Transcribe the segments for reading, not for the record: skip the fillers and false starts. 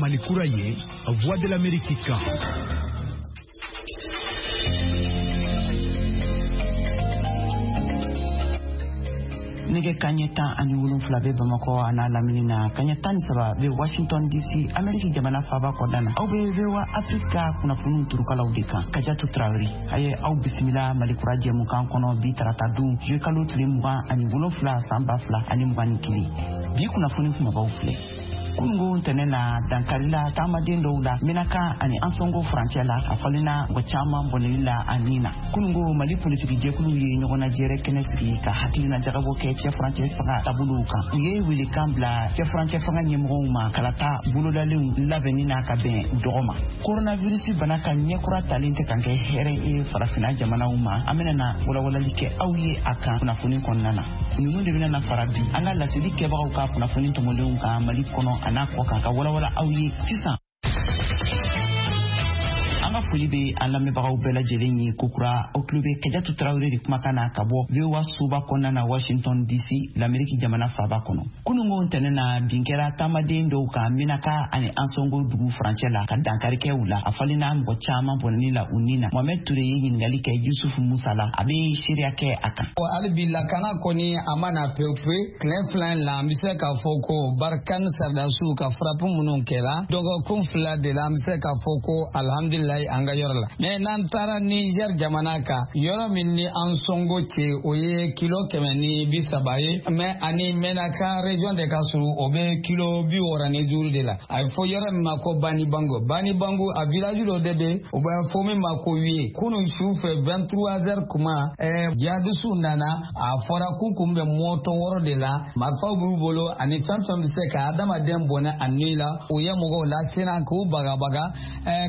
Mali kura ye, Voix de l'Amérique kan. Nɛgɛ kaɲɛ 17 bɛ Bamakɔ a n'a lamini na, kaɲɛ 13 bɛ Washington DC, Ameriki jamana faaba kɔnɔna na. Aw bɛ VOA Afrika kunnafoniw turukalaw de kan. Kajatu Tarawele a ye aw bisimila Mali kura jɛmukan kɔnɔ bi tarata don, juillet kalo tile 27 san 2021. Bi kunnafoni kumabaw filɛ. Kunungo ntɛnɛn na, dankarila taamaden dɔw la Menaka ani Ansongo furancɛ la, a falenna mɔgɔ caman bɔnɛli la a nin na. Kunungo, Mali politiki jɛkuluw ye ɲɔgɔnnajɛrɛ kɛnɛ sigi ka hakilina jagabɔ kɛ cɛ furancɛ fanga taabolow kan. U ye welekan bila cɛ furancɛ fanga ɲɛmɔgɔw ma kalata bolodalenw labɛnni na ka bɛn dɔgɔ ma. Coronavirus bana ka ɲɛkura talen tɛ kan kɛ hɛrɛ ye farafinna jamanaw ma. An bɛna na walawalali kɛ aw ye a kan kunnafoni kɔnɔna na. Ninnu de bɛna na fara bi an ka laseli kɛbagaw ka kunnafoni tɔmɔlenw kan Mali kɔnɔ a n'a kɔ kan, ka walawala aw ye sisan. An ka foli bɛ an lamɛnbagaw bɛɛ lajɛlen ye kokura. Aw tulo bɛ Kajatu Tarawele de kumakan na ka bɔ VOA soba kɔnɔna na, Washington DC, l'Amérique jamana faaba kɔnɔ. Kunungo ntɛnɛn na, bin kɛra taamaden dɔw kan Menaka ani Ansongo dugu furancɛ la, ka dankari kɛ u la. A falenna mɔgɔ caman bɔnɛni la u ni na. Mohamɛd Ture ye ɲininkali kɛ Yusufu Musa la, a bɛ seereya kɛ a kan. Hali bi lakana kɔni a ma na pewu pewu. Tile 2 in la, an bɛ se k'a fɔ ko Barkhane sardasiw ka frappe minnu kɛra dɔgɔkun 2 de la, an bɛ se k'a fɔ ko alhamdulilayi an ka yɔrɔ la. Mais n'an taara Niger jamana kan, yɔrɔ min ni Ansongo cɛ, o ye kilo 130 ye, mais ani Menaka région de ka surun, o bɛ kilo 65 de la. A bɛ fɔ yɔrɔ min ma ko Banibango. Banibango, a village dɔ de bɛ, o bɛ fɔ min ma ko Wiye. Kunun su fɛ, 23 heures kuma, jihadisiw nana. A fɔra k'u kun bɛ moto 6 de la, marifaw b'u bolo ani fɛn fɛn bɛ se ka adamaden bɔnɛ a ni la. U ye mɔgɔw lasiran k'u bagabaga,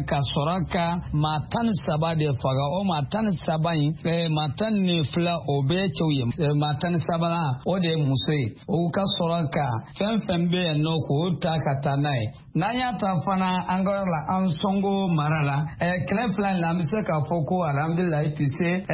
ka sɔrɔ ka maa 13 de faga. O maa 13 in, maa 12 o bɛɛ cɛw ye, maa 13nan o de ye muso ye. U ka sɔrɔ ka fɛn fɛn bɛ yen nɔ k'o ta ka taa n'a ye. N'an y'a ta fana an ka yɔrɔ la, Ansongo mara la, tile 2 in la, an bɛ se k'a fɔ ko alhamdulilayi, puisque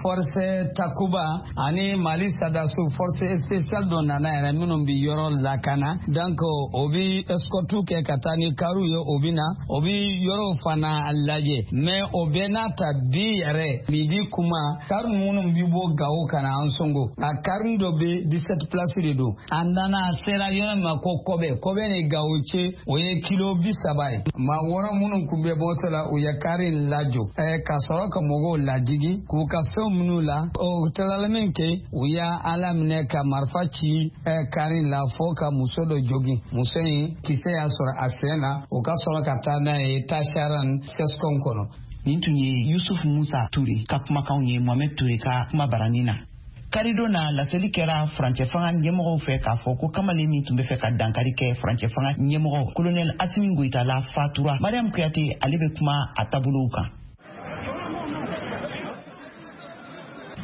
force Takuba ani Mali sardasiw force spéciale dɔ nana yɛrɛ minnu bɛ yɔrɔ lakana. Donc o bɛ escorte kɛ ka taa ni kariw ye, o bɛ na o bɛ yɔrɔw fana lajɛ. Mais o bɛɛ n'a ta, bi yɛrɛ midi kuma, kari minnu bɛ bɔ Gawo ka na Ansongo, a kari dɔ bɛ 17 place de don. A nana a sera yɔrɔ min ma ko Kɔbɛ, Kɔbɛ ni Gawo cɛ, o ye kilo 30 ye. Maa 6 minnu kun bɛ moto la, u ye kari in lajɔ ka sɔrɔ ka mɔgɔw lajigi k'u ka fɛnw minnu la. O tilala min kɛ, u y'a ala minɛ ka marifa ci kari in la fo ka muso dɔ jogin. Muso in kisɛ y'a sɔrɔ a sen na. U ka sɔrɔ ka taa n'a ye Tasaran CSCOM kɔnɔ. Nin tun ye Yusuf Musa Ture ka kumakanw ye Mohamɛd Ture ka kuma baranin na. Karidon na, laseli kɛra furancɛ fanga ɲɛmɔgɔw fɛ k'a fɔ ko kamalen min tun bɛ fɛ ka dankari kɛ furancɛ fanga ɲɛmɔgɔ kolonɛl Asimi Goyita la fatura. Mariam Kuyate, ale bɛ kuma a taabolow kan.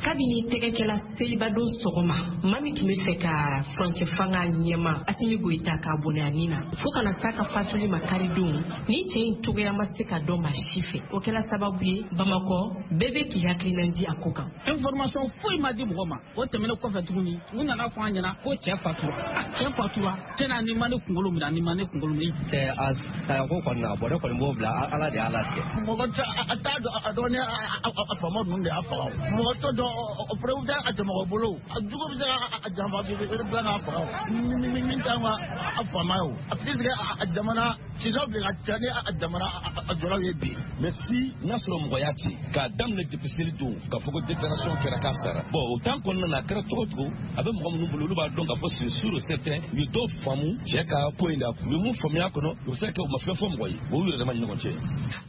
Kabini tɛgɛkɛla selibadon sɔgɔma, maa min tun bɛ fɛ ka furancɛ fanga ɲɛma Asimi Goyita k'a bɔnɛ a ni na, fo kana s'a ka fatuli ma karidon, ni cɛ in cogoya ma se ka dɔn maa si fɛ. O kɛla sababu ye Bamakɔ bɛɛ bɛ k'i hakilina di a ko kan. Information foyi ma di mɔgɔ ma. O tɛmɛnen kɔfɛ tuguni, u nana fɔ an ɲɛna ko cɛ fatura. Cɛ fatura cɛ ni ma ne kunkolo minɛ, ni ma ne kunkolo minɛ. Cɛ a saya ko kɔni na bɔn, ne kɔni b'o bila Ala de y'a latigɛ. Mɔgɔ tɛ a t'a dɔn, a dɔn ni a faama ninnu de y'a faga. Mɔgɔ tɛ dɔn, o preuve tɛ a cɛmɔgɔ bolo. A jugu bɛ se ka janfa bi bila k'a faga. Min t'an ka a faama ye o. A puisque a jamana sisan bi ka ca ni a jamana a jɔlaw ye bi. Mais si n'a sɔrɔ mɔgɔ y'a ci k'a daminɛ depuis seli don k'a fɔ ko déclaration kɛra k'a sara, bon, o temps kɔnɔna na, a kɛra cogo cogo, a bɛ mɔgɔ minnu bolo, olu b'a dɔn k'a fɔ c'est sûr et certain u ye dɔw faamu cɛ ka ko in la. U ye mun faamuya kɔnɔ, u bɛ se ka kɛ u ma fɛn fɔ mɔgɔ ye, o y'u yɛrɛ dama ni ɲɔgɔn cɛ.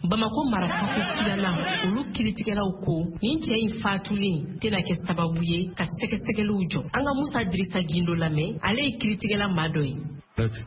Bamakɔ mara kafo filanan, olu kiritigɛlaw ko nin cɛ in fatulen tɛna kɛ sababu ye ka sɛgɛsɛgɛliw jɔ. An ka Musa Dirisa Gindo lamɛn, ale ye kiritigɛla maa dɔ ye.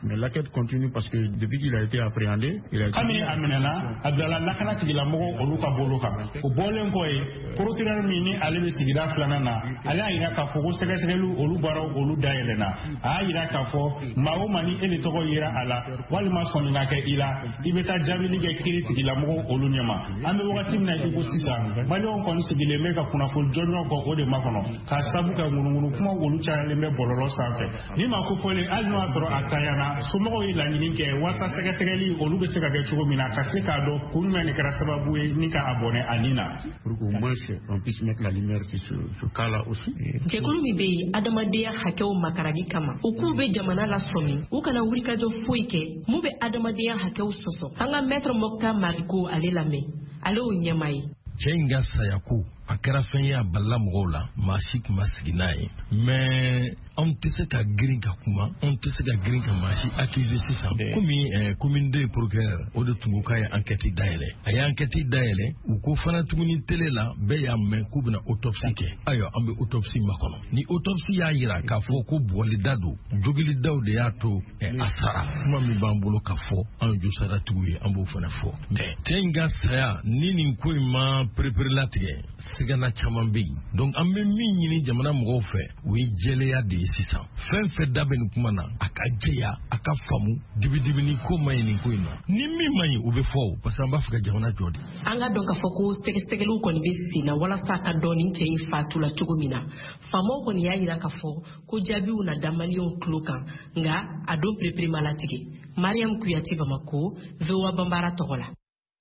Mais l'enquête continue parce que depuis qu'il a été appréhendé, il a été. Kabini a minɛna, a bilala lakana tigilamɔgɔw olu ka bolo kan. O bɔlen kɔ ye, procureur min ni ale bɛ sigida filanan na, ale y'a yira k'a fɔ ko sɛgɛsɛgɛliw olu baaraw olu dayɛlɛnna. A y'a yira k'a fɔ maa o maa ni e de tɔgɔ yera a la walima sɔnni ka kɛ i la, i bɛ taa jaabili kɛ kiiri tigilamɔgɔw olu ɲɛma. An bɛ wagati min na i ko sisan, maliyɛnw kɔni sigilen bɛ ka kunnafoni jɔnjɔn kɔ o de makɔnɔ, k'a sabu kɛ ŋunuŋunu kumaw olu cayalen bɛ bɔlɔlɔ sanfɛ. Ni maa kofɔlen, hali n'o y'a sɔrɔ a tanyana. ntanyana, somɔgɔw ye laɲini kɛ walasa sɛgɛsɛgɛli olu bɛ se ka kɛ cogo min na, ka se k'a dɔn kun jumɛn de kɛra sababu ye ni ka a bɔnɛ a ni na. Pour qu'au moins on puisse mettre la lumière sur ce cas-là aussi. Jɛkulu min bɛ yen adamadenya hakɛw makarali kama, u k'u bɛ jamana lasɔmi u kana wulikajɔ foyi kɛ mun bɛ adamadenya hakɛw sɔsɔ. An ka maître Moctar Mariko ale lamɛn, ale y'o ɲɛmaa ye. Cɛ in ka saya ko a kɛra fɛn ye, a balila mɔgɔw la, maa si tun ma sigi n'a ye. Mais anw tɛ se ka girin ka kuma, anw tɛ se ka girin ka maa si accuser sisan. Komi commune 2 procureur o de tun ko k'a ye enquête dayɛlɛ, a ye enquête dayɛlɛ, u ko fana tuguni télé la bɛɛ y'a mɛn k'u bɛna autopsie kɛ. Ayiwa, an bɛ autopsie makɔnɔ. Ni autopsie y'a yira k'a fɔ ko bugɔlida don, jogilidaw de y'a to a sara, kuma min b'an bolo ka fɔ anw josaratigiw ye, an b'o fana fɔ. Mais cɛ in ka saya ni nin ko in ma pereperelatigɛ, sigana caman bɛ yen. Donc an bɛ min ɲini jamana mɔgɔw fɛ, o ye jɛlenya de ye sisan. Fɛn fɛn da bɛ nin kuma na, a ka jɛya, a ka faamu, dibidibini ko man ɲi nin ko in na. Ni min man ɲi, o bɛ fɔ o, parce que an b'a fɛ ka jamana jɔ de. An ka dɔn k'a fɔ ko sɛgɛsɛgɛliw kɔni bɛ sen na walasa ka dɔn nin cɛ in fatula cogo min na. Faamaw kɔni y'a yira k'a fɔ ko jaabiw na da maliyɛnw tulo kan, nka a don perepere ma latigɛ. Mariam Kuyate, Bamako, VOA Banbara tɔgɔ la.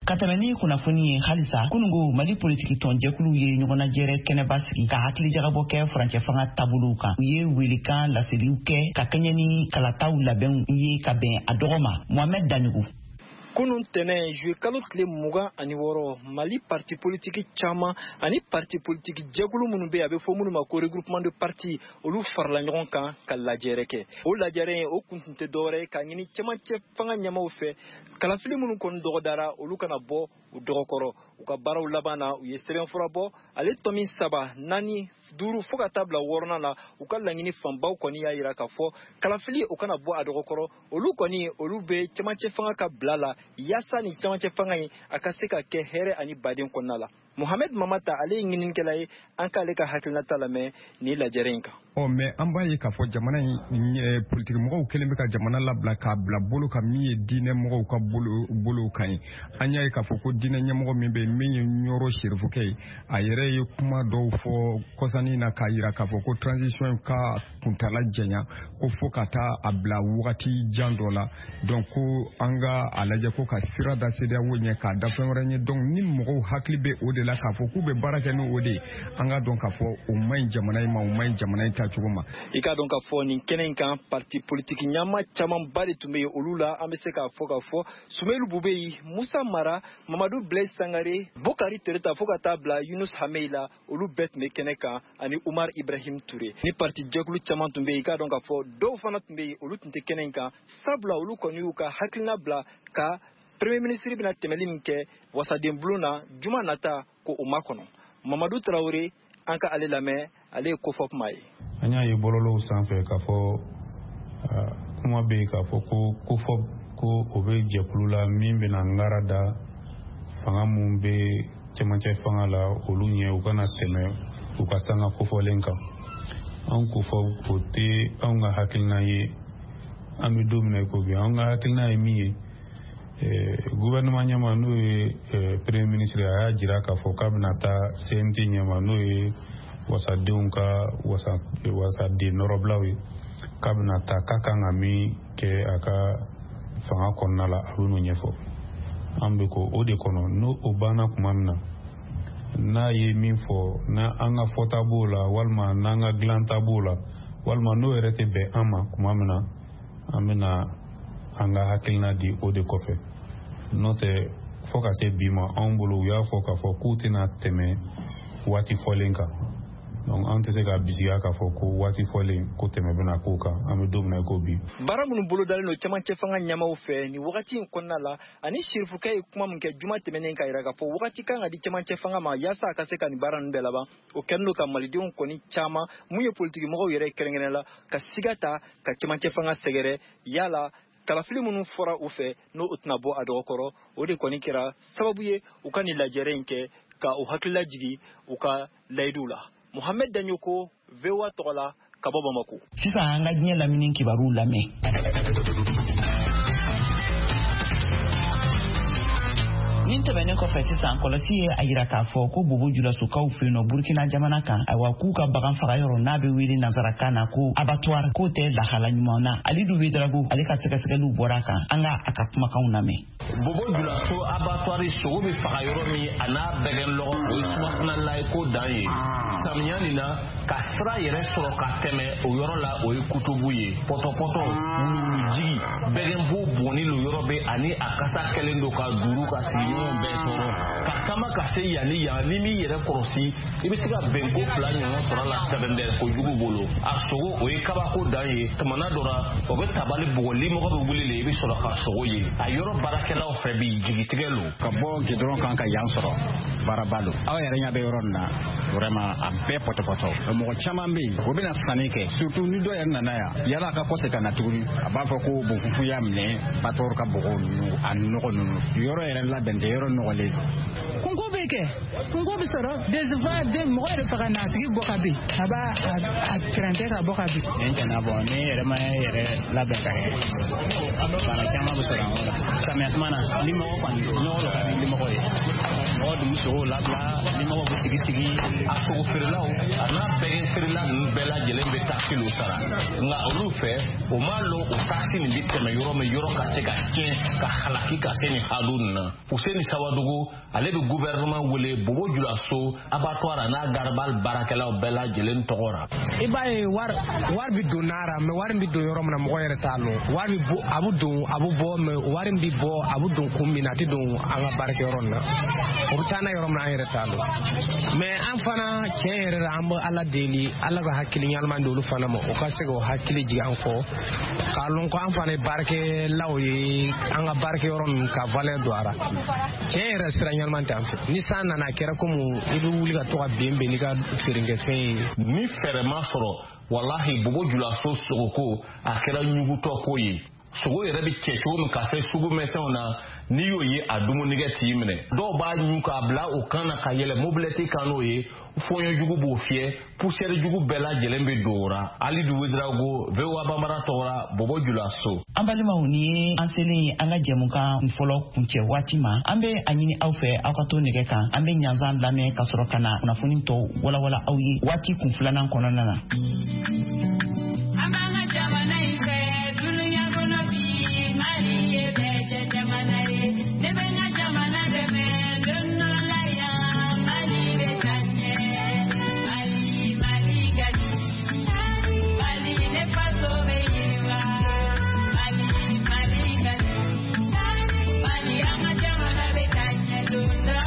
Ka tɛmɛ ni kunnafoni ye halisa, kunungo Mali politiki tɔnjɛkuluw ye ɲɔgɔnnajɛrɛ kɛnɛba sigi ka hakilijagabɔ kɛ furancɛ fanga taabolow kan. U ye welekan laseliw kɛ ka kɛɲɛ ni kalataw labɛnw ye ka bɛn a dɔgɔ ma. Mohamɛd Daɲogo. Kunun tɛnɛ juillet kalo tile 26, Mali parti politiki caman ani parti politiki jɛkulu minnu bɛ yen, a bɛ fɔ minnu ma ko regroupement de parti, olu farala ɲɔgɔn kan ka lajɛrɛ kɛ. O lajɛrɛ in, o kun tun tɛ dɔwɛrɛ ye k'a ɲini cɛmancɛ fanga ɲɛmaaw fɛ, kalafili minnu kɔni dɔgɔdara, olu kana bɔ u dɔgɔkɔrɔ. U ka baaraw laban na, u ye sɛbɛnfura bɔ, ale tɔmi 3, 4, 5 fo ka taa bila 6nan na. U ka laɲini fanbaw kɔni y'a yira k'a fɔ kalafili o kana bɔ a dɔgɔkɔrɔ. Olu kɔni, olu bɛ cɛmancɛ fanga ka bila la yaasa ni cɛmancɛ fanga in a ka se ka kɛ hɛrɛ ani baden kɔnɔna la. Mohamed Mamata, ale ye ɲininikɛla ye, an k'ale ka hakilinata lamɛn nin lajɛrɛ in kan. Ɔ mais an b'a ye k'a fɔ jamana in politiki mɔgɔw kɛlen bɛ ka jamana labila k'a bila bolo kan min ye diinɛ mɔgɔw ka bolow kan ye. An y'a ye k'a fɔ ko diinɛ ɲɛmɔgɔ min bɛ yen, min ye Ɲɔrɔ Serifukɛ ye, a yɛrɛ ye kuma dɔw fɔ kɔsannin na k'a yira k'a fɔ ko transition ka kuntala janya, ko fo ka taa a bila wagati jan dɔ la. Donc ko an ka a lajɛ ko ka sira da CEDEAO ɲɛ, k'a da fɛn wɛrɛ ɲɛ. Donc ni mɔgɔw hakili bɛ o de la k'a fɔ k'u bɛ baara kɛ n'o de ye, an ka dɔn k'a fɔ o man ɲi jamana in ma, o man ɲi jamana in taacogo ma. I k'a dɔn k'a fɔ nin kɛnɛ in kan, parti politiki ɲama camanba de tun bɛ yen. Olu la, an bɛ se k'a fɔ Sumelu Bubeyi, Musa Mara, Mamadu Blaise Sangare, Bokari Tereta, fo ka taa bila Yunus Hamei la, olu bɛɛ tun bɛ kɛnɛ kan, ani Umar Ibrahim Ture. Ni parti jɛkulu caman tun bɛ yen, i k'a dɔn k'a fɔ dɔw fana tun bɛ yen, olu tun tɛ kɛnɛ in kan, sabula olu kɔni y'u ka hakilina bila ka premier ministre bɛna tɛmɛli min kɛ wasaden bulon na juma nata, ko o makɔnɔ. Mamadu Tarawele, an ka ale lamɛn, ale ye kofɔ kuma ye. An y'a ye bɔlɔlɔw sanfɛ k'a fɔ kuma bɛ yen k'a fɔ ko kofɔ ko o bɛ jɛkulu la min bɛna ngara da fanga mun bɛ cɛmancɛ fanga la olu ɲɛ, u kana tɛmɛ u ka sanga kofɔlen kan. Anw kofɔ o tɛ anw ka hakilina ye. An bɛ don min na i ko bi, anw ka hakilina ye min ye, gouvernement ɲɛma n'o ye premier ministre, a y'a jira k'a fɔ k'a bɛna taa CNT ɲɛma, n'o ye wasadenw ka wasaden nɔrɔbilaw ye, k'a bɛna taa k'a kan ka min kɛ a ka fanga kɔnɔna la, a bɛ n'o ɲɛfɔ. An bɛ ko o de kɔnɔ, n'o o banna tuma min na, n'a ye min fɔ, n'an ka fɔta b'o la, walima n'an ka dilanta b'o la, walima n'o yɛrɛ tɛ bɛn an ma tuma min na, an bɛna an ka hakilina di o de kɔfɛ. N'o tɛ, fo ka se bi ma, anw bolo u y'a fɔ k'a fɔ k'u tɛna tɛmɛ waati fɔlen kan. Donc an tɛ se ka bisigiya k'a fɔ ko waati fɔlen ko tɛmɛ bɛna k'o kan. An bɛ don min na i ko bi. Baara minnu bolodalen don cɛmancɛ fanga ɲɛmaaw fɛ nin wagati in kɔnɔna la, ani Serifukɛ ye kuma min kɛ juma tɛmɛnen ka yira k'a fɔ wagati kan ka di cɛmancɛ fanga ma yaasa a ka se ka nin baara ninnu bɛɛ laban, o kɛlen don ka malidenw kɔni caman mun ye politiki mɔgɔw yɛrɛ kɛrɛnkɛrɛn la ka siga ta ka cɛmancɛ fanga sɛgɛrɛ yala kalafili minnu fɔra u fɛ n'o tɛna bɔ a dɔgɔkɔrɔ. O de kɔni kɛra sababu ye u ka nin lajɛrɛ in kɛ ka u hakilila jigin u ka layiduw la. Mohamed Dagnoko, VOA tɔgɔ la, ka bɔ Bamako. Sisan an ka diɲɛ lamini kibaruw lamɛn. Nin tɛmɛnen kɔfɛ, sisan kɔlɔsi ye a yira k'a fɔ ko Bobo Julasokaw fɛ yen nɔ, Burkina jamana kan, ayiwa, k'u ka bagan faga yɔrɔ n'a bɛ wele nansarakan na ko abattoir, k'o tɛ lahala ɲuman na. Alidu Ouédraogo, ale ka sɛgɛsɛgɛliw bɔra a kan. An ka a ka kumakanw lamɛn. Bobo Julaso abattoir, sogo bɛ faga yɔrɔ min, a n'a bɛgɛn lɔgɔ, o ye sumakunala ye ko dan ye. Samiya nin na, ka sira yɛrɛ sɔrɔ ka tɛmɛ o yɔrɔ la, o ye kutubu ye. Pɔtɔpɔtɔ, wuluwulujigi, bɛgɛnbo bɔnni lo yɔrɔ bɛ, ani a kasa kɛlen don ka duuru ka sigiɲɔgɔnw bɛɛ tɔɔrɔ. Ka taama ka se yan ni yan, ni m'i yɛrɛ kɔlɔsi, i bɛ se ka bɛnko fila ɲɔgɔn sɔrɔ a la tɛbɛndɛ kojugu bolo. A sogo, o ye kabako dan ye. Tumana dɔ la, o bɛ tabali bugɔ, limɔgɔ bɛ wuli le, i bɛ sɔrɔ ka sogo ye. A yɔrɔ baarakɛlaw fɛ bi, jigitigɛ lo. Ka bɔ gidɔrɔn kan ka yan sɔrɔ, baaraba don. Aw yɛrɛ ɲɛ bɛ yɔrɔ nin na, vraiment a bɛɛ pɔtɔpɔtɔ. Mɔgɔ caman bɛ yen, o bɛna sanni kɛ, surtout ni dɔ yɛrɛ nana yan, yala a ka kɔsegin ka na tuguni, a b'a fɔ ko bonfunfun y'a minɛ, abattoir ka bɔgɔ ninnu, a nɔgɔ ninnu, yɔrɔ yɛrɛ labɛn tɛ, yɔrɔ nɔgɔlen. Kunko bɛ kɛ, kunko bɛ sɔrɔ des fois, den mɔgɔ yɛrɛ faga n'a tigi bɔ ka bin, a b'a a tɛrɛntɛ ka bɔ ka bin. Nin tɛna bɔ ni yɛrɛ ma yɛrɛ labɛn ka kɛ, bana caman bɛ sɔrɔ an kɔrɔ. Samiya tuma na, ni mɔgɔ kɔni nɔgɔ dɔ ka di limɔgɔ ye, mɔgɔ dun bɛ sogow labila, limɔgɔw bɛ sigi sigi. A sogo feerelaw a n'a bɛgɛn feerela ninnu bɛɛ lajɛlen bɛ taxe lo sara, nka olu fɛ, o m'a lɔn o taxe nin bɛ tɛmɛ yɔrɔ min, yɔrɔ ka se ka tiɲɛ ka halaki ka se nin hadu nin na. Fuseni Sawadogo, ale bɛ gouvernement wele Bobo Julaso abattoir a n'a garabali baarakɛlaw bɛɛ lajɛlen tɔgɔ ra. I b'a ye, wari bɛ don n'a ra, mais wari bɛ don yɔrɔ min na, mɔgɔ yɛrɛ t'a lɔn. Wari bɛ bɔ, a bɛ don, a bɛ bɔ, mais wari bɛ bɔ, a bɛ don kun min na, a tɛ don an ka baarakɛyɔrɔ nin na. O bɛ taa n'a yɔrɔ min na, an yɛrɛ t'a lɔn. Mais an fana, tiɲɛ yɛrɛ la, an bɛ Ala deli, Ala ka hakili ɲɛnama di olu fana ma, o ka se k'o hakili jigin an kɔ, k'a lɔn ko an fana ye baarakɛlaw ye, an ka baarakɛyɔrɔ ninnu ka valeur don a ra. Tiɲɛ yɛrɛ, sira ɲɛnama tɛ an fɛ. Ni san nana, a kɛra komi i bɛ wuli ka to ka ben ben n'i ka feerekɛfɛn ye. Ni fɛɛrɛ ma sɔrɔ, walahi, Bobo Julaso sogoko, a kɛra ɲugutɔ ko ye. Sogo yɛrɛ bɛ cɛ cogo min ka se sugu misɛnw na, n'i y'o ye, a dumunikɛ t'i minɛ. Dɔw b'a ɲu k'a bila o kan na ka yɛlɛ mobilɛti kan n'o ye, fɔɲɔ jugu b'o fiyɛ, poussière jugu bɛɛ lajɛlen bɛ don o ra. Alidu Ouédraogo, VOA Bambara tɔgɔra, Bobo Julaso. An balimaw, nin ye an selen ye an ka jɛmukan fɔlɔ kuncɛ waati ma. An bɛ a ɲini aw fɛ, aw ka to nɛgɛ kan. An bɛ ɲanzan lamɛn ka sɔrɔ ka na kunnafoni tɔw walawala aw ye waati kun filanan kɔnɔna na. An b'an ka jamana in fɛ dunuya kɔnɔ bi, Mali ye bɛɛ jɛ jamana ye. Ne bɛ n ka jamana dɛmɛ don dɔ la yan, Mali bɛ taa ɲɛ. Mali, Mali ka di, Mali ne faso bɛ yiriwa. Mali, Mali ka di, Mali an ka jamana bɛ taa ɲɛ don dɔ.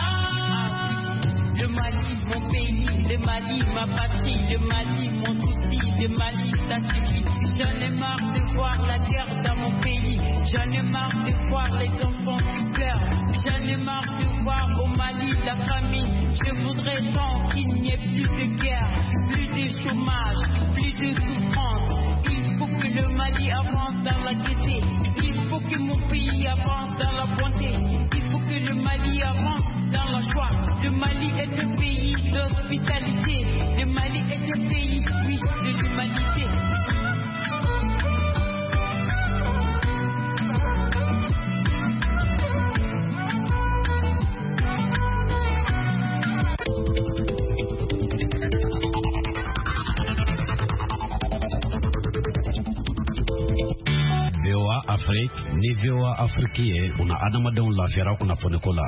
Le Mali, mon pays, le Mali, ma patrie, le Mali, mon souci, le Mali, ça suffit. J'en ai marre de voir la guerre dans mon pays. J'en ai marre de voir les enfants qui pleurent. J'en ai marre de voir au Mali la famine. Je voudrais tant qu'il n'y ait plus de guerre, plus de chômage, plus de souffrance. Il faut que le Mali avance dans la gaieté. Il faut que mon pays avance dans la bonté. Il faut que le Mali avance dans la joie. Le Mali est un pays d'hospitalité. Le Mali est un pays, oui, de l'humanité. VOA Afrique ni VOA Afrique ye, una adamadenw lafiyara kunnafoniko la.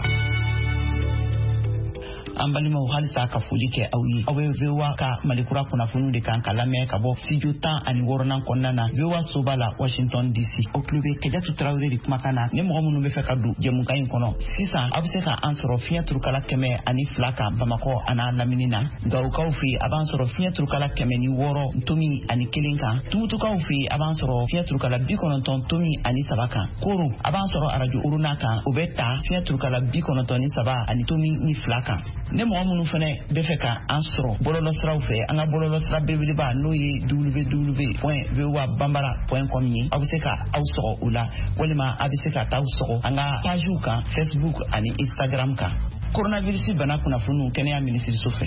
An balimaw, halisa ka foli kɛ aw ye. Aw bɛ VOA ka Malikura kunnafoniw de kan ka lamɛn ka bɔ studio 16nan kɔnɔna na, VOA soba la, Washington DC. Aw tulo bɛ Kajatu Tarawele de kumakan na. Ni mɔgɔ minnu bɛ fɛ ka don jɛmukan in kɔnɔ sisan, aw bɛ se ka an sɔrɔ fiɲɛ turukala 102 kan Bamakɔ a n'a lamini na. Gawokaw fɛ, a b'an sɔrɔ fiɲɛ turukala 106.1 kan. Tumutukaw fɛ, a b'an sɔrɔ fiɲɛ turukala 90.3 kan. Koro, a b'an sɔrɔ arajo Oruna kan, o bɛ ta fiɲɛ turukala 93.2 kan. Ni mɔgɔ minnu fɛnɛ bɛ fɛ ka an sɔrɔ bɔlɔlɔsiraw fɛ, an ka bɔlɔlɔsira belebeleba, n'o ye www.voabambara.com ye, aw bɛ se ka aw sɔgɔ o la, walima a bɛ se ka taa sɔgɔ an ka pagew kan, Facebook ani Instagram kan. Coronavirus bana kunnafoniw kɛnɛya minisiriso fɛ.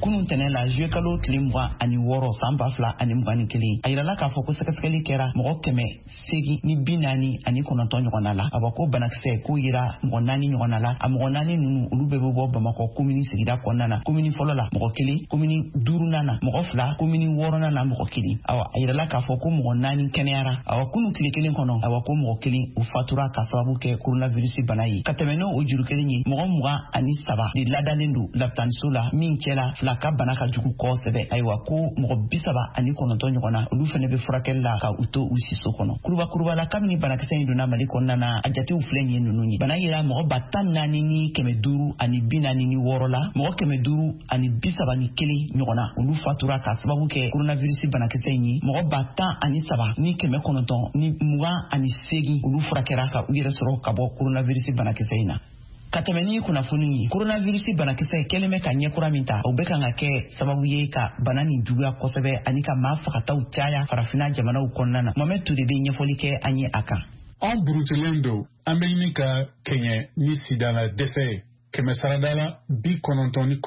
Kunun tɛnɛ la, juillet kalo tile 26 san 2021, a yirala k'a fɔ ko sɛgɛsɛgɛli kɛra mɔgɔ 849 ɲɔgɔnna la. Awa, ko banakisɛ k'o yira mɔgɔ naani ɲɔgɔnna la. A mɔgɔ naani ninnu, olu bɛɛ bɛ bɔ Bamakɔ komini sigida kɔnɔna na: komini fɔlɔ la mɔgɔ kelen, komini duurunan na mɔgɔ fila, komini wɔɔrɔnan na mɔgɔ kelen. Awa, a yirala k'a fɔ ko mɔgɔ naani kɛnɛyara. Awa, kunu tile kelen kɔnɔ, awa, ko mɔgɔ kelen o fatura ka sababu kɛ coronavirus bana ye. Ka tɛmɛ n'o o juru kelen ye, mɔgɔ 23 de ladalen don lapitaniso la, min cɛla fila ka bana ka jugu kosɛbɛ. Ayiwa, ko mɔgɔ 39 ɲɔgɔn na, olu fɛnɛ bɛ furakɛli la ka u to u siso kɔnɔ. Kurubakuruba la, kabini banakisɛ in donna Mali kɔnɔna na, a jatew filɛ nin ye ninnu ye: bana yera mɔgɔ 14,546 la, mɔgɔ 531 ɲɔgɔn na, olu fatura ka sababu kɛ coronavirus banakisɛ in ye. Mɔgɔ 13,928, olu furakɛra ka u yɛrɛ sɔrɔ ka bɔ coronavirus banakisɛ in na. Ka tɛmɛ ni kunnafoni ye, coronavirus banakisɛ kɛlen bɛ ka ɲɛkura min ta, o bɛ kan ka kɛ sababu ye ka bana nin juguya kosɛbɛ ani ka maa fagataw caya Farafina jamanaw kɔnɔna na. Mohamɛd Ture bɛ ɲɛfɔli kɛ an ye a kan. An burutulen don, an bɛ ɲini ka kɛɲɛ ni sidala dɛsɛ ye. Kɛmɛ sarada la, 99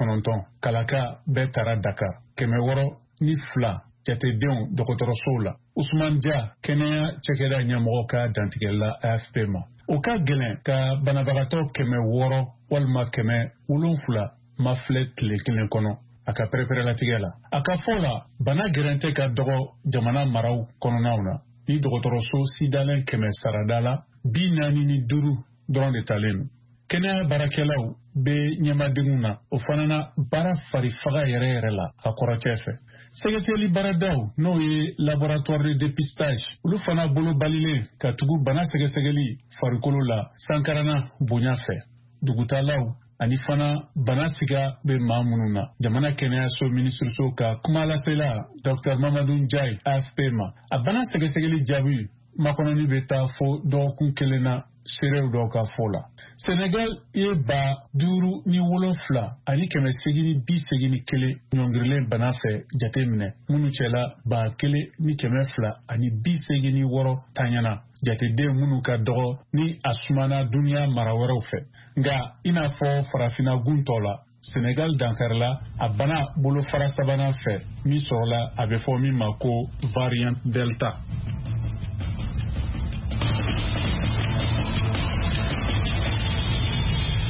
kalaka bɛɛ tara Dakar, 602 jatedenw dɔgɔtɔrɔsow la. Usman Dia, kɛnɛya cakɛda ɲɛmɔgɔ ka dantigɛli AFP ma, o ka gɛlɛn ka banabagatɔ 600 walima 700 mafilɛ tile kelen kɔnɔ a ka pɛrɛpɛrɛlatigɛ la. A ka fɔ la, bana gɛrɛntɛ ka dɔgɔ jamana maraw kɔnɔnaw na, ni dɔgɔtɔrɔso sidalen kɛmɛ sarada la, 45 dɔrɔn de talen don. Kɛnɛya baarakɛlaw bɛ ɲɛmadenw na, o fana na baara farifaga yɛrɛ yɛrɛ la a kɔrɔcɛ fɛ. Sɛgɛsɛgɛli baaradaw, n'o ye laboratoire de dépistage, olu fana bolo balilen ka tugu bana sɛgɛsɛgɛli farikolo la sankarana bonya fɛ, dugutalaw ani fana bana siga bɛ maa minnu na. Jamana kɛnɛyaso minisiriso ka kumalasela Dr Mamadou Ndiaye AFP ma, a bana sɛgɛsɛgɛli jaabi makɔnɔni bɛ taa fo dɔgɔkun kelen na, seerew dɔw ka fɔ la. Senegal ye 57,881 ɲɔngirilen bana fɛ jate minɛ, minnu cɛla 1,286 taɲana, jateden minnu ka dɔgɔ ni a sumana duniya mara wɛrɛw fɛ. Nka i n'a fɔ Farafinna gun tɔ la, Senegal dankarila a bana bolofara sabanan fɛ min sɔrɔla, a bɛ fɔ min ma ko variant Delta.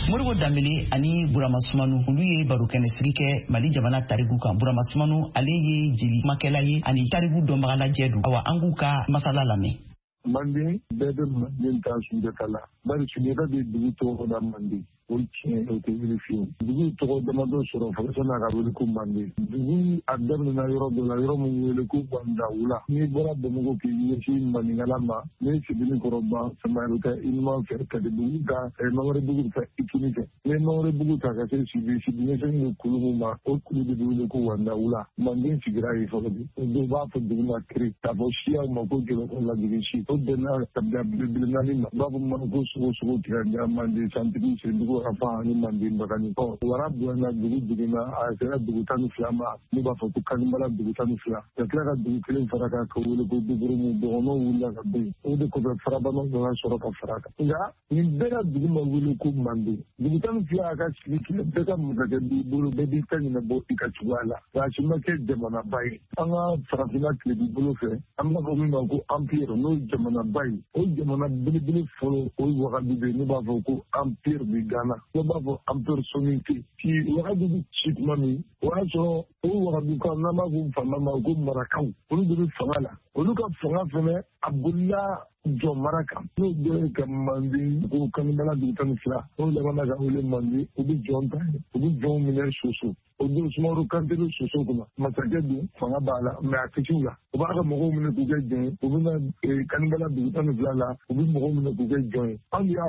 Moribo Danbele ani Burama Sumanu, olu ye barokɛnɛ sigi kɛ Mali jamana tariku kan. Burama Sumanu, ale ye jeli kumakɛla ye ani tariku dɔnbagalajɛ don. Awa, an k'u ka masala lamɛn. Manden bɛɛ bɛ Manden ta Sunjata la, bari Sunjata de dugu tɔgɔ da Manden. O tiɲɛ, o tɛ wuli fiyewu. Dugu tɔgɔ damadɔ sɔrɔ fɔlɔ sani a ka wele ko Manden. Dugu a daminɛna yɔrɔ dɔ la, yɔrɔ min wele ko Wandawula. N'i bɔra Bamakɔ k'i ɲɛsin Maninkala ma, n'i Sebeni kɔrɔ ban Sama, bɛ taa i numan fɛ Katibugu ta, Mamaribugu bɛ taa i kini fɛ. N'i ye Mamaribugu ta ka se Sibi, Sibi ɲɛsinnen don kulu min ma, o kulu de bɛ wele ko Wandawula. Manden sigira yen fɔlɔ de. O don b'a fɔ dugu ma Kiri, k'a fɔ siyaw ma ko Jɔlɔkɔ lajigin si. O bɛnna kabila belebele naani ma. U b'a fɔ ma ko sogo sogo tigɛ Manden santigi sendugu afa ani Manden bagani. Ɔ, wara bonyana, dugu jiginna, a sera dugu 12 ma, n'u b'a fɔ ko Kanibala dugu 12. Ka tila ka dugu kelen fara kan ka wele ko Dugurumu. Dɔgɔnɔw wulila ka bɔ yen. O de kɔfɛ, farabanaw nana sɔrɔ ka fara kan. Nka nin bɛɛ ka dugu ma wele ko Manden. Dugu 12 a ka sigi kɛ, bɛɛ ka masakɛ b'i bolo, bɛɛ b'i ta ɲɛnabɔ i ka cogoya la. Nka a si ma kɛ jamanaba ye. An ka Farafinna tilebi bolo fɛ, an b'a fɔ min ma ko empire, n'o ye jamanaba ye. O jamana belebele fɔlɔ, o ye Wagadu de ye, n'u b'a fɔ ko empire de Ghana, n'u b'a fɔ empire Soninké. Ci Wagadu bɛ ci tuma min, o y'a sɔrɔ o Wagadu kan, n'an b'a fɔ faama ma ko Marakaw, olu de bɛ fanga la. Olu ka fanga fɛnɛ a bolila jɔn mara kan, n'o dɔ ye ka Manden ko Kanibala dugu 12, n'o labanna ka wele Manden. U bɛ jɔn ta yen, u bɛ jɔnw minɛ Soso. O don Sumaworo Kante bɛ Soso kunna, masakɛ don, fanga b'a la, mɛ a tɛ la. U b'a ka mɔgɔw minɛ k'u kɛ jɔn ye. U bɛ na Kanibala dugu 12 la, u bɛ mɔgɔw minɛ k'u kɛ jɔn ye. Anw de y'a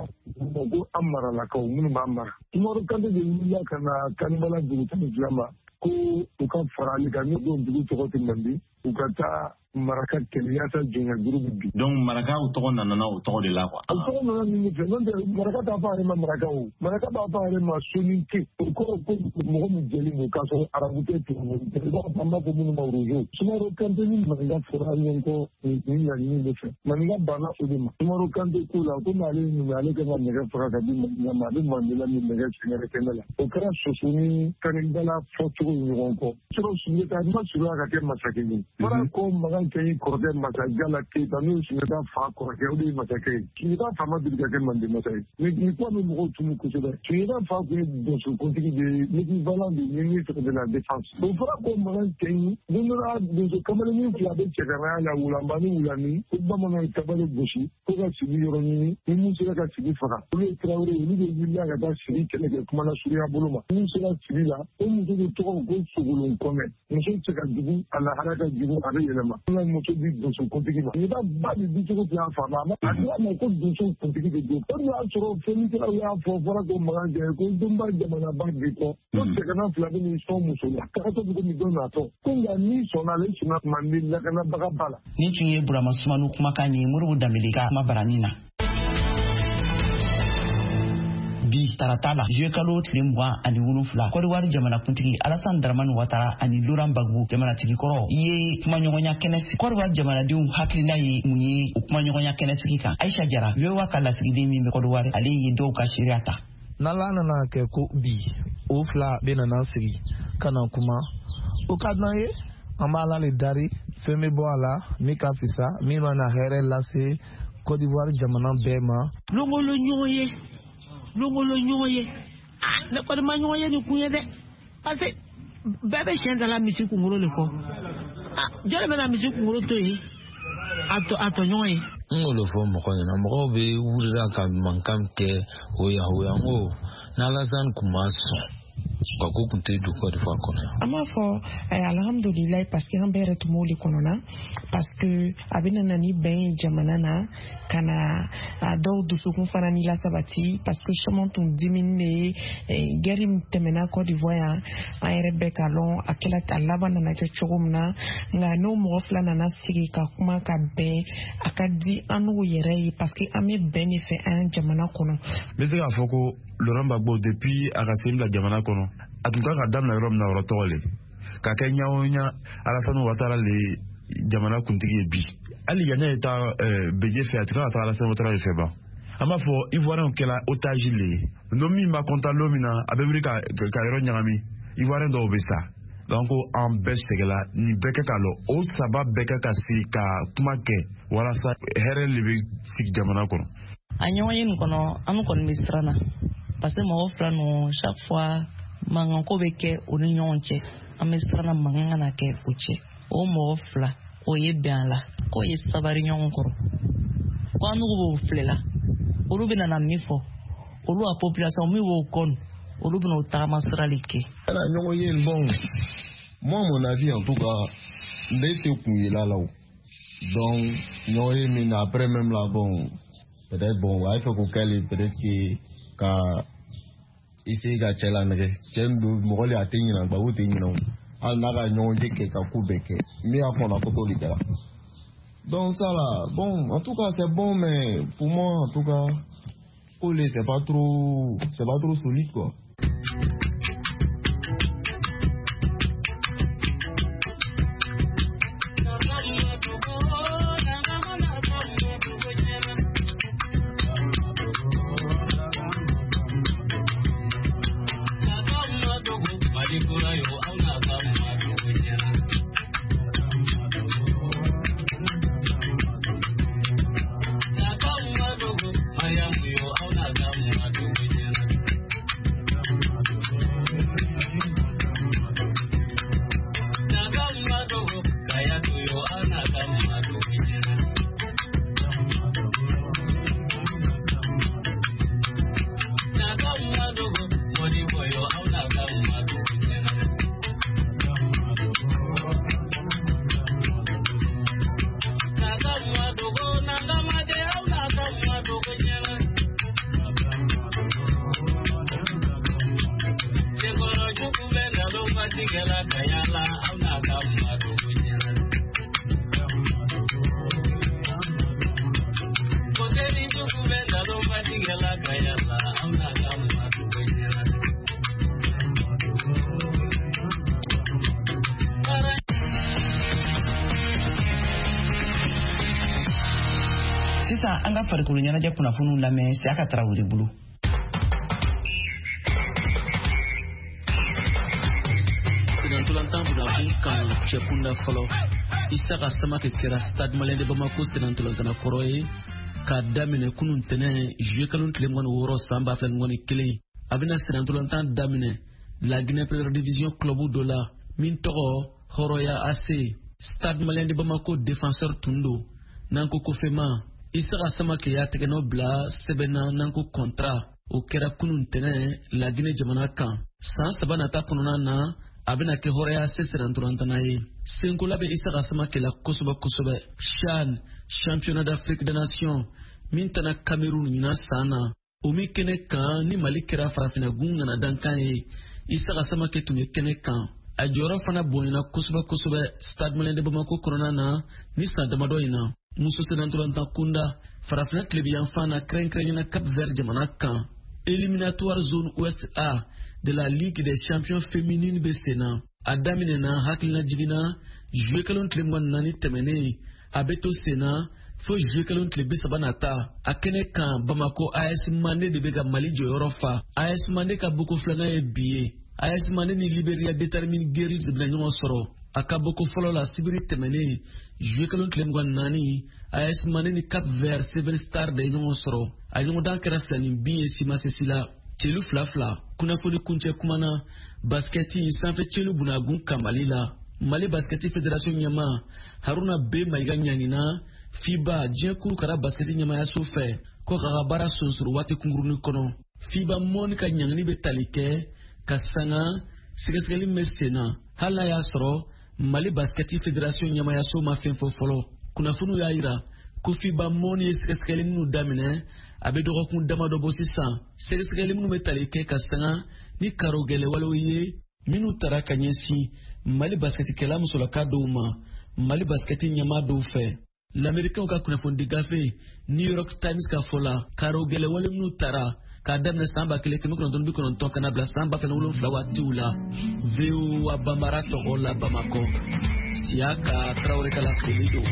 fɔ ko an maralakaw minnu b'an mara. Sumaworo Kante de wulila ka na Kanibala dugu 12 ma ko u ka fara ale kan. N'o don dugu tɔgɔ tɛ Manden. U ka taa maraka kɛlɛ yaasa jɔnya juru bɛ bin. Donc marakaw tɔgɔ nana o tɔgɔ de la quoi. O tɔgɔ nana nin de fɛ, n'o tɛ maraka t'a fɔ a yɛrɛ ma maraka o. Maraka b'a fɔ a yɛrɛ ma soninke. O kɔrɔ ko mɔgɔ min jɛlen don k'a sɔrɔ arabu tɛ tubabu tɛ. I b'a fɔ an b'a fɔ minnu ma rozo. Sumaworo Kante ni maninka fɔra ɲɔgɔn kɔ nin laɲini de fɛ. Maninka banna o de ma. Sumaworo Kante ko la komi ale ye numu ye, ale kan ka nɛgɛ faga ka di maninka ma, a bɛ Mandela ni nɛgɛ sɛgɛrɛ kɛnɛ la. O kɛra Soso ni Kanigala fɔcogo ye ɲɔgɔn kɔ. Sɔrɔ Sunjata ma surunya ka kɛ masakɛ ye. Fara ko Makan Cɛɲi kɔrɔkɛ Masajala Keyita n'o ye Sunjata fa kɔrɔkɛ, o de ye masakɛ ye. Sunjata fa ma deli ka kɛ Manden masa ye. Nin kuma bɛ mɔgɔw tunu kosɛbɛ. Sunjata fa tun ye donsokuntigi de ye, l'équivalent du ministre de la défense. O fɔra ko Makan Cɛɲi don dɔ la donso kamalennin fila bɛ cɛganaya la, Wulamba ni Wulani, ko bamananw ye tabale gosi ko ka sigi yɔrɔ ɲini ni min sera ka sigi faga. Olu ye Tarawele, olu de wulila ka taa sigi kɛlɛ kɛ kumana surunya bolo ma. Min sera sigi la, o muso de tɔgɔ ko Sogolon Kɔnɛ. Muso cɛ ka jugu, a lahara ka jugu, a bɛ yɛlɛma. N ka muso di donso kuntigi ma. Sunjata ba de di cogo tun y'a faama. A ko a ma ko donso kuntigi de don. O de y'a sɔrɔ fɔlikɛlaw y'a fɔ fɔra ko Makan Cɛ ko donba jamanaba bi kɔ. Ko cɛgana fila bɛ n'i sɔn muso la. Tagatɔ bɛ komi dɔ natɔ. Ko nka n'i sɔnna, ale sɔnna Manden lakanabaga ba la. Nin tun ye Burama Sumanu kumakan ye Modibo Danbele ka kuma barani na. Bi tarata la juillet kalo tile 27, Kɔdiwari jamanakuntigi Alassane Dramane Ouattara ani Laurent Gbagbo jamanatigi kɔrɔ ye kumaɲɔgɔnya kɛnɛ sigi. Kɔdiwari jamanadenw hakilina ye mun ye o kumaɲɔgɔnya kɛnɛ sigi kan? Aisha Jara, VOA ka lasigiden min bɛ Kɔdiwari, ale ye dɔw ka seereya ta. N'Ala nana kɛ ko bi o fila bɛ nana sigi ka na kuma, o ka d'an ye. An b'Ala le dari, fɛn bɛ bɔ a la min ka fisa, min bɛna hɛrɛ lase Côte d'Ivoire jamana bɛɛ ma. Longolo ɲɔgɔn ye, longolo ɲɔgɔn ye. Ah, ne kɔni ma ɲɔgɔn ye nin kun ye dɛ, parce que bɛɛ bɛ siɲɛ dala misi kunkolo de kɔ. Ah, jɔn de bɛna misi kunkolo to yen a tɔɲɔgɔn ye? N k'o de fɔ mɔgɔ ɲɛna, mɔgɔw bɛ wulila ka mankan kɛ o yahoya. N ko n'Alassane kun ma sɔn, ka ko kun tɛ don Côte d'Ivoire kɔnɔ yan. An b'a fɔ alhamdulilayi, parce que an bɛɛ yɛrɛ tun b'o de kɔnɔna, parce que a bɛ na ni bɛn ye jamana na, ka na a dɔw dusukun fana ni lasabati, parce que caman tun dimini de ye guerre min tɛmɛna Côte d'Ivoire yan, an yɛrɛ bɛɛ k'a lɔn a kɛla a laban nana kɛ cogo min na. Nka n'o mɔgɔ fila nana sigi ka kuma ka bɛn, a ka di an n'o yɛrɛ ye, parce que an bɛ bɛn de fɛ an jamana kɔnɔ. N bɛ se k'a fɔ ko Laurent Gbagbo depuis a ka sen bila jamana kɔnɔ, a tun kan ka daminɛ yɔrɔ min na, yɔrɔ tɔgɔ le ka kɛ ɲa o ɲa Alassane Ouattara le jamana kuntigi ye bi. Hali yanni ye taa Bédié fɛ, a tun kan ka taa Alassane Ouattara de fɛ ban. An b'a fɔ Ivoirien kɛla otage le ye. N'o min b'a content lon min na, a bɛ wuli ka yɔrɔ ɲagami, Ivoirien dɔw bɛ sa. Donc an bɛɛ sɛgɛla, nin bɛɛ kɛ k'a lɔ, o saba bɛɛ kɛ ka sigi ka kuma kɛ walasa hɛrɛ le bɛ sigi jamana kɔnɔ. A ɲɔgɔn ye nin kɔnɔ, an kɔni bɛ siran na, parce que mɔgɔ fila ninnu chaque fois mankanko bɛ kɛ u ni ɲɔgɔn cɛ. An bɛ siran na mankan kana kɛ o cɛ. O mɔgɔ fila o ye bɛn a la, k'o ye sabari ɲɔgɔn kɔrɔ, ko an n'u b'o filɛ la, olu bɛna na min fɔ, olu ka population min b'o kɔn, olu bɛna o tagama sira de kɛ. Ala ɲɔgɔn ye bon, moi mon avis en tout cas, ne tɛ kun yela la o. Donc ɲɔgɔn ye min na après même là, bon, peut-être bon, a ye fɛ k'o kɛ le, peut-être que ka essayer ka cɛ lanɛgɛ. Cɛ min don mɔgɔ le a tɛ ɲinɛ, Gbagbo tɛ ɲinɛ o. Hali n'a ka ɲɔgɔn ye kɛ ka ko bɛɛ kɛ, min y'a kɔnɔ ko t'o de kɛra. Donc ça là, bon, en tout cas c'est bon, mais pour moi en tout cas, ko le c'est pas trop solide quoi. Sisan an ka farikolo ɲɛnajɛ kunnafoniw lamɛn Siyaka Tarawele bolo. Senantolantan bunakun kan cɛkunda fɔlɔ, Isaka Samake kɛra Stade Malien de Bamako senantolantana kɔrɔ ye k'a daminɛ kunun tɛnɛ juillet kalo tile 26 san 2021. A bɛna senantolantan daminɛ La Guinée Première Division club dɔ la min tɔgɔ Horoya AC. Stade Malien de Bamako défenseur tun don n'an ko kofema. Isaka Samake y'a tɛgɛnɔ bila sɛbɛn na n'an ko contrat, o kɛra kunun tɛnɛ La Guinée jamana kan. San 3 nata kɔnɔna na, a bɛna kɛ Horoya AC senantolantana ye. Senkola bɛ Isaka Samake la kosɛbɛ kosɛbɛ. CHAN, Championnat d'Afrique des Nations, min tana Cameroun ɲinan san na, o min kɛnɛ kan ni Mali kɛra farafinna gun ŋana dankan ye, Isaka Samake tun bɛ kɛnɛ kan. A jɔyɔrɔ fana bonyana kosɛbɛ kosɛbɛ Stade Malien de Bamako kɔnɔna na ni san damadɔ in na. Muso senantolantan kunda, farafinna tilebiyanfan na, kɛrɛnkɛrɛnyana Cap Vert jamana kan, éliminatoire zone Ouest A de la Ligue des champions féminines bɛ sen na. A daminɛna hakilina jiginna juillet kalo tile 24 tɛmɛnen, a bɛ to sen na fo juillet kalo tile 30 nata. A kɛnɛ kan, Bamako AS Mande de bɛ ka Mali jɔyɔrɔ fa. AS Mande ka boko filanan ye bi ye. AS Mande ni Liberia Determine Guerri de bɛna ɲɔgɔn sɔrɔ. A ka boko fɔlɔ la, sibiri tɛmɛnen juillet kalo tile 24, AS Mande ni Cap Vert Seven Star de ye ɲɔgɔn sɔrɔ. A ɲɔgɔndan kɛra 2-0 ye simasesi la, celu 2-2. Kunnafoni kuncɛ kuma na, basikɛti sanfɛ celu bunagun kan Mali la, Mali basikɛti fédération ɲɛma Haruna B Mayiga ɲangina FIBA, diɲɛ kurukara basikɛti ɲɛmayaso fɛ, ko k'a ka baara sonsoro waati kunkurunin kɔnɔ. FIBA mɔni ka ɲangini bɛ tali kɛ ka sanga sɛgɛsɛgɛli min bɛ sen na, hali n'a y'a sɔrɔ Mali basikɛti fédération ɲɛmayaso ma fɛn fɔ fɔlɔ. Kunnafoniw y'a yira ko FIBA mɔni ye sɛgɛsɛgɛli minnu daminɛ, a bɛ dɔgɔkun damadɔ bɔ sisan, sɛgɛsɛgɛli minnu bɛ tali kɛ ka sanga ni karo gɛlɛwalew ye minnu tara ka ɲɛsin Mali basikɛtikɛla musolaka dɔw ma Mali basikɛti ɲɛmaa dɔw fɛ. Lamɛrikɛnw ka kunnafonidi gafe New York Times ka fɔ la, karo gɛlɛwale minnu tara k'a daminɛ san 1990 ka na bila san 2007 waatiw la. VOA Banbara tɔgɔ la Bamakɔ, Siyaka Tarawele ka laseli don.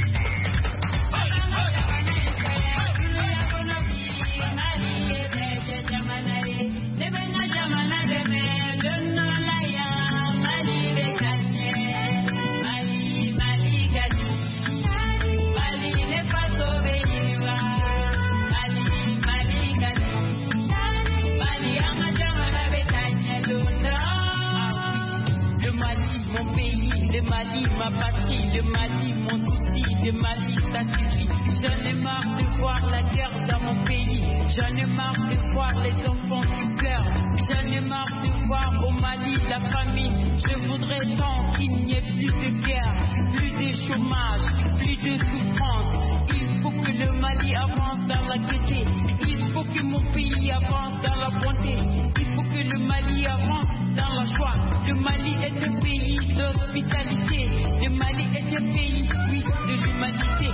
Le Mali, ma patrie, le Mali, mon souci, le Mali, ça suffit. J'en ai marre de voir la guerre dans mon pays. J'en ai marre de voir les enfants qui pleurent. J'en ai marre de voir au Mali la famine. Je voudrais tant qu'il n'y ait plus de guerre, plus de chômage, plus de souffrance. Il faut que le Mali avance dans la gaieté. Il faut que mon pays avance dans la bonté. Il faut que le Mali avance dans la joie. Le Mali est un pays d'hospitalité. Le Mali est un pays, oui, de l'humanité.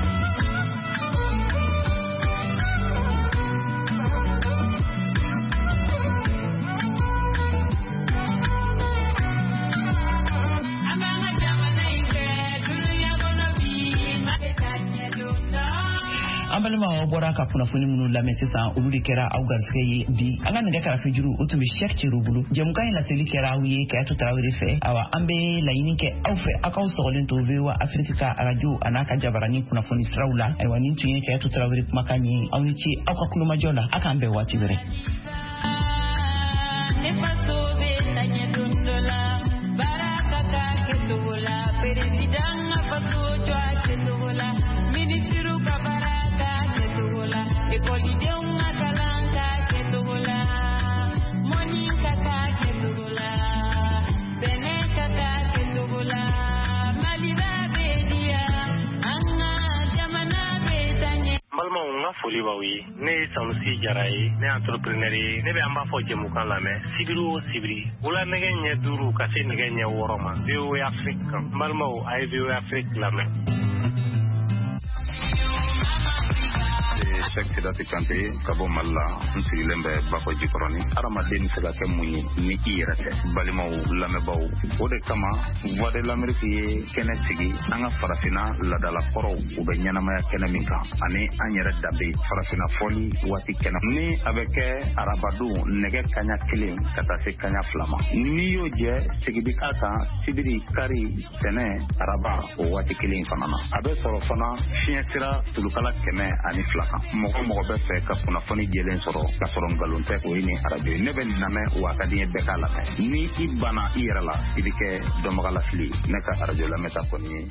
An balimaw, aw bɔra ka kunnafoni minnu lamɛn sisan, olu de kɛra aw garisɛgɛ ye bi. An ka nɛgɛ karafejuru, o tun bɛ Shɛk Cero bolo. Jɛmukan in laseli kɛra aw ye Kayatu Tarawele fɛ. Awa, an bɛ laɲini kɛ aw fɛ, aw k'aw sɔgɔlen to VOA Afiriki ka arajo a n'a ka jabarani kunnafoni siraw la. Ayiwa, nin tun ye Kayatu Tarawele kumakan ye. Aw ni ce aw ka kulomajɔ la. A k'an bɛn waati wɛrɛ. Ne faso bɛ taa ɲɛ don dɔ la, baara ka k'a kɛcogo la, président ka faso jɔ a kɛcogo la, ministre ka baara k'a kɛcogo la, ekɔlidenw ka kalan k'a kɛcogo la, mɔni ka k'a kɛcogo la, sɛnɛ ka k'a kɛcogo la, Maliba bɛ diya, an ka jamana bɛ taa ɲɛ. N balimaw, n ka foli b'aw ye. Ne ye Sanusi Jara ye, ne ye entrepreneur ye. Ne bɛ an b'a fɔ jɛmukan lamɛn sibiri o sibiri wula nɛgɛ ɲɛ 5 ka se nɛgɛ ɲɛ 6 ma VOA Afrique kan. N balimaw, a ye VOA Afrique lamɛn. Cheick Sidati Kante ka bɔ Mali la, n sigilen bɛ Bakɔ Jikɔrɔni. Hadamaden bɛ se ka kɛ mun ye ni i yɛrɛ tɛ? Balimaw, lamɛnbaaw, o de kama Voix de l'Amérique ye kɛnɛ sigi an ka farafinna laadalakɔrɔw u bɛ ɲɛnamaya kɛnɛ min kan, ani an yɛrɛ danbe farafinna fɔli waati kɛnɛ ni a bɛ kɛ arabadon nɛgɛ kaɲa 1 ka taa se kaɲa 2 ma. N'i y'o jɛ, segin bɛ k'a kan sibiri, kari, tɛnɛ, araba o waati kelen fana na. A bɛ sɔrɔ fana fiɲɛ sira tulukala 102 kan. Mɔgɔ mɔgɔ bɛ fɛ ka kunnafoni jɛlen sɔrɔ ka sɔrɔ nkalon tɛ, o ye nin arajo ye. Ne bɛ nin lamɛn, wa a ka di n ye bɛɛ k'a lamɛn. Ni i banna i yɛrɛ la, i bɛ kɛ dɔnbagalafili ye. Ne ka arajo lamɛnta kɔni ye.